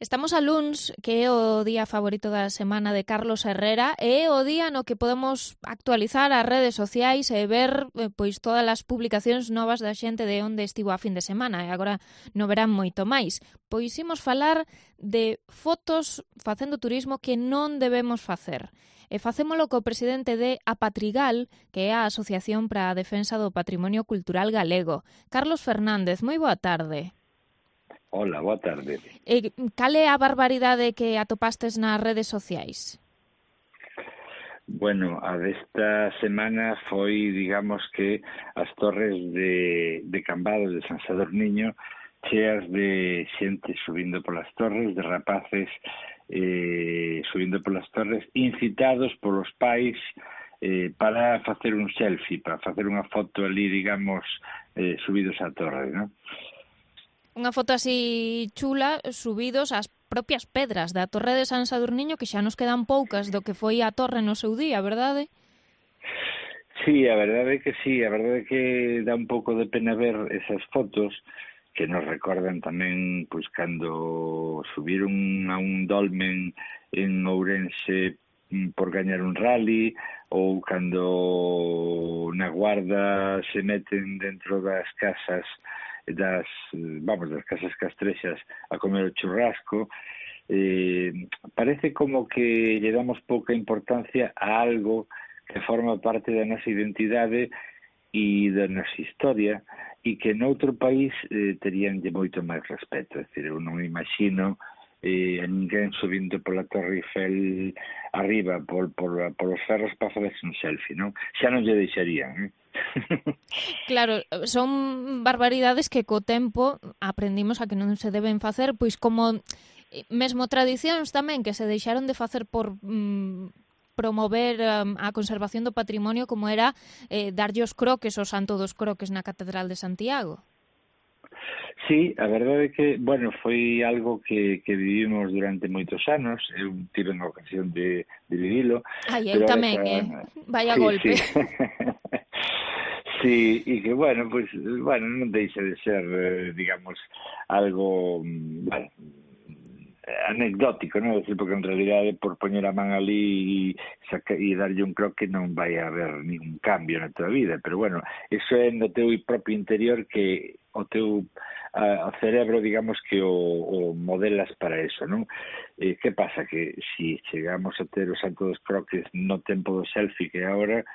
Estamos a luns, que é o día favorito da semana de Carlos Herrera, e é o día no que podemos actualizar as redes sociais e ver pois todas as publicacións novas da xente de onde estivo a fin de semana, e agora no verán moito máis. Pois imos falar de fotos facendo turismo que non debemos facer. E facémolo co presidente de Apatrigal, que é a Asociación para a Defensa do Patrimonio Cultural Galego. Carlos Fernández, moi boa tarde. Hola, boa tarde. Cal é a barbaridade que atopastes nas redes sociais? Bueno, a desta semana foi, digamos que, as torres de Cambados de San Sadurniño cheas de xente subindo polas torres, de rapaces subindo polas torres, incitados polos pais para facer un selfie, para facer unha foto ali, digamos, subidos á torre, non? Unha foto así chula, subidos ás propias pedras da Torre de San Sadurniño, que xa nos quedan poucas do que foi a torre no seu día, verdade? Sí, a verdade é que sí, a verdade é que dá un pouco de pena ver esas fotos que nos recordan tamén pois cando subiron a un dolmen en Ourense por gañar un rally, ou cando na Guarda se meten dentro das casas das casas castrexas a comer o churrasco. Parece como que lle damos pouca importancia a algo que forma parte da nosa identidade e da nosa historia e que noutro país teríanlle moito máis respeto. É dicir, eu non imagino a ninguén subindo pola Torre Eiffel arriba polos ferros para facerse un selfie, non? Xa non lle deixarían, Claro, son barbaridades que co tempo aprendimos a que non se deben facer, pois como mesmo tradicións tamén que se deixaron de facer por promover a conservación do patrimonio, como era darlle os croques ao Santo dos Croques na Catedral de Santiago. Sí, a verdade é que, bueno, foi algo que vivimos durante moitos anos, eu tive a ocasión de vivilo. Ai, eu tamén, vaya sí, golpe. Sí. Sí, e que, bueno, pues, bueno, non deixa de ser, digamos, algo, bueno, anecdótico, non? Decir, porque en realidade por poñer a man ali e darlle un croque non vai haber ningún cambio na tua vida, pero bueno, eso é no teu propio interior que o teu o cerebro, digamos, que o modelas para eso, non? Que pasa? Que si chegamos a ter o Santo dos Croques no tempo do selfie que agora,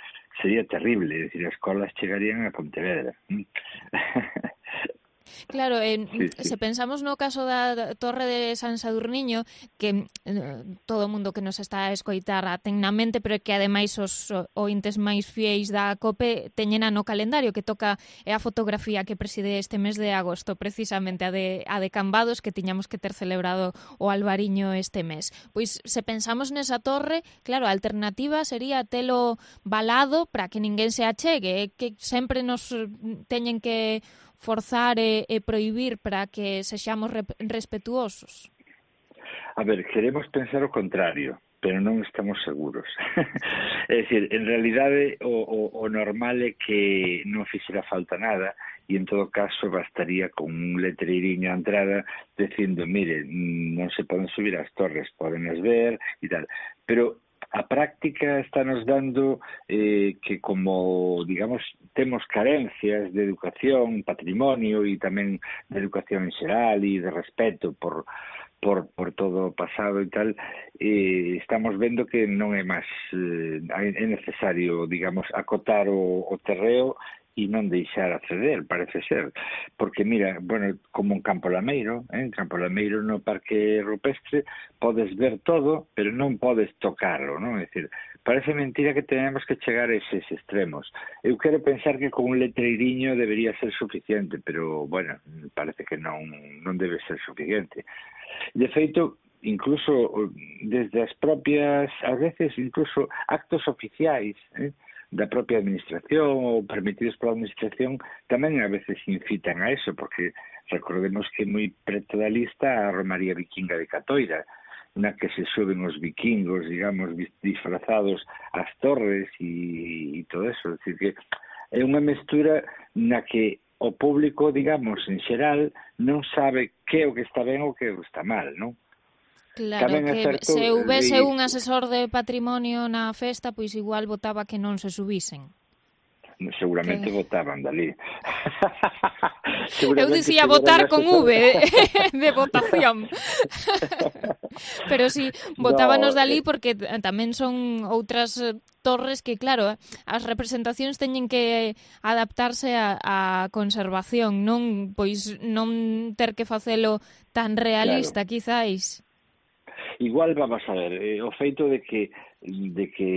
sería terrible, é dicir, as colas chegarían a Pontevedra. Claro, Sí. se pensamos no caso da Torre de San Sadurniño, que todo o mundo que nos está a escoitar a ten na mente, pero que ademais os ointes máis fieis da COPE teñena no calendario, que toca a fotografía que preside este mes de agosto, precisamente a de Cambados, que tiñamos que ter celebrado o Albariño este mes. Pois se pensamos nesa torre, claro, a alternativa sería telo valado para que ninguén se achegue, que sempre nos teñen que forzar e prohibir para que sexamos respetuosos? A ver, queremos pensar o contrario, pero non estamos seguros. É dicir, en realidade o normal é que non fixera falta nada e en todo caso bastaría con un letreiriño a entrada dicindo, mire, non se poden subir as torres, podenlas ver e tal. Pero a práctica está nos dando que como, digamos, temos carencias de educación, patrimonio e tamén de educación en xeral e de respeto por todo o pasado e tal, estamos vendo que non é máis é necesario, digamos, acotar o terreo e non deixar acceder, parece ser. Porque, mira, bueno, como en Campo Lameiro, en Campo Lameiro no Parque Rupestre, podes ver todo, pero non podes tocarlo, non? É dicir, parece mentira que tenemos que chegar a eses extremos. Eu quero pensar que con un letreiriño debería ser suficiente, pero, bueno, parece que non debe ser suficiente. De feito, incluso desde as propias, a veces incluso actos oficiais, da propia administración ou permitidos pola administración tamén a veces incitan a eso, porque recordemos que moi preto da lista a Romaría Vikinga de Catoira, na que se suben os vikingos, digamos, disfrazados ás torres e todo eso. É dicir, que é unha mestura na que o público, digamos, en xeral, non sabe que é o que está ben ou que é o que está mal, non? Claro, Tamén é que certo, se houvese un asesor de patrimonio na festa, pois igual votaba que non se subisen. seguramente Que... votaban dali. Eu dicía votar con V de votación. Pero sí, votábanos No, dali porque tamén son outras torres que, claro, as representacións teñen que adaptarse a conservación, non pois non ter que facelo tan realista, claro. quizáis. Igual vamos a ver, o feito de que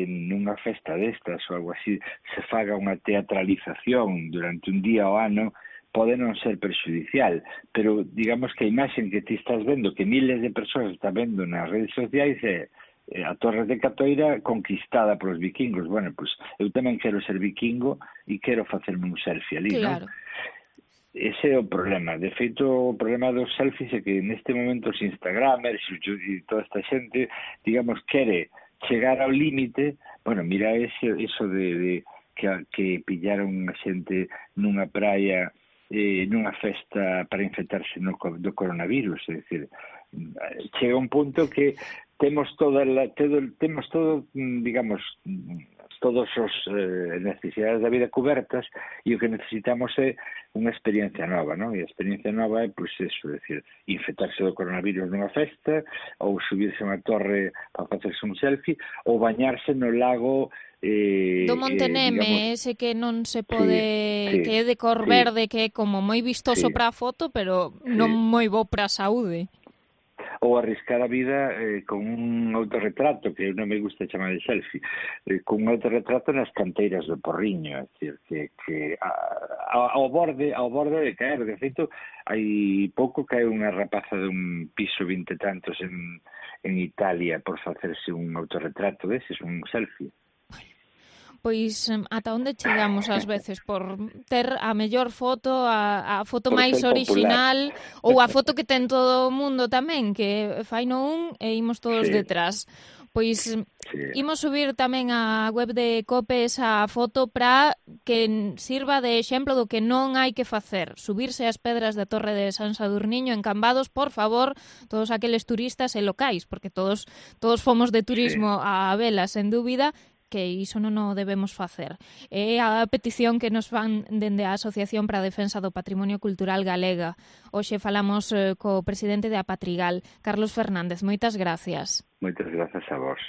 nunha festa destas ou algo así se faga unha teatralización durante un día ao ano pode non ser perxudicial, pero digamos que a imaxen que ti estás vendo, que miles de persoas están vendo nas redes sociais é a Torre de Catoira conquistada polos vikingos. Bueno, pois eu tamén quero ser vikingo e quero facerme un selfie ali, Claro. non? Ese é o problema. De feito, o problema dos selfies é que neste momento os Instagramers e toda esta xente, digamos, quere chegar ao límite. Bueno, mira eso de que pillaron a xente nunha praia, nunha festa para infectarse do coronavirus. É dicir, chega un punto que temos todo, digamos, todos os necesidades da vida cobertas e o que necesitamos é unha experiencia nova, non? E a experiencia nova é, pois, eso, decir, infectarse do coronavirus nunha festa, ou subirse a unha torre para facerse un selfie, ou bañarse no lago do Monteneme, digamos, ese que non se pode, que é de cor verde, que é como moi vistoso para a foto, pero non moi bo para a saúde. Ou arriscar a vida con un autorretrato, que non me gusta chamar de selfie, con un autorretrato nas canteiras do Porriño, é dicir, que ao borde de caer. De feito, hai pouco cae unha rapaza dun piso 20 e tantos en Italia por facerse un autorretrato deses, un selfie. Pois ata onde chegamos ás veces por ter a mellor foto, a foto máis orixinal, ou a foto que ten todo o mundo tamén, que faino un e imos todos detrás. Pois imos subir tamén á web de COPE esa foto para que sirva de exemplo do que non hai que facer. Subirse ás pedras da Torre de San Sadurniño en Cambados, por favor, todos aqueles turistas e locais, porque todos fomos de turismo a vela, sen dúbida, que iso non o debemos facer. É a petición que nos fan dende a Asociación para a Defensa do Patrimonio Cultural Galega. Hoxe falamos co presidente de Apatrigal, Carlos Fernández. Moitas gracias. Moitas grazas a vos.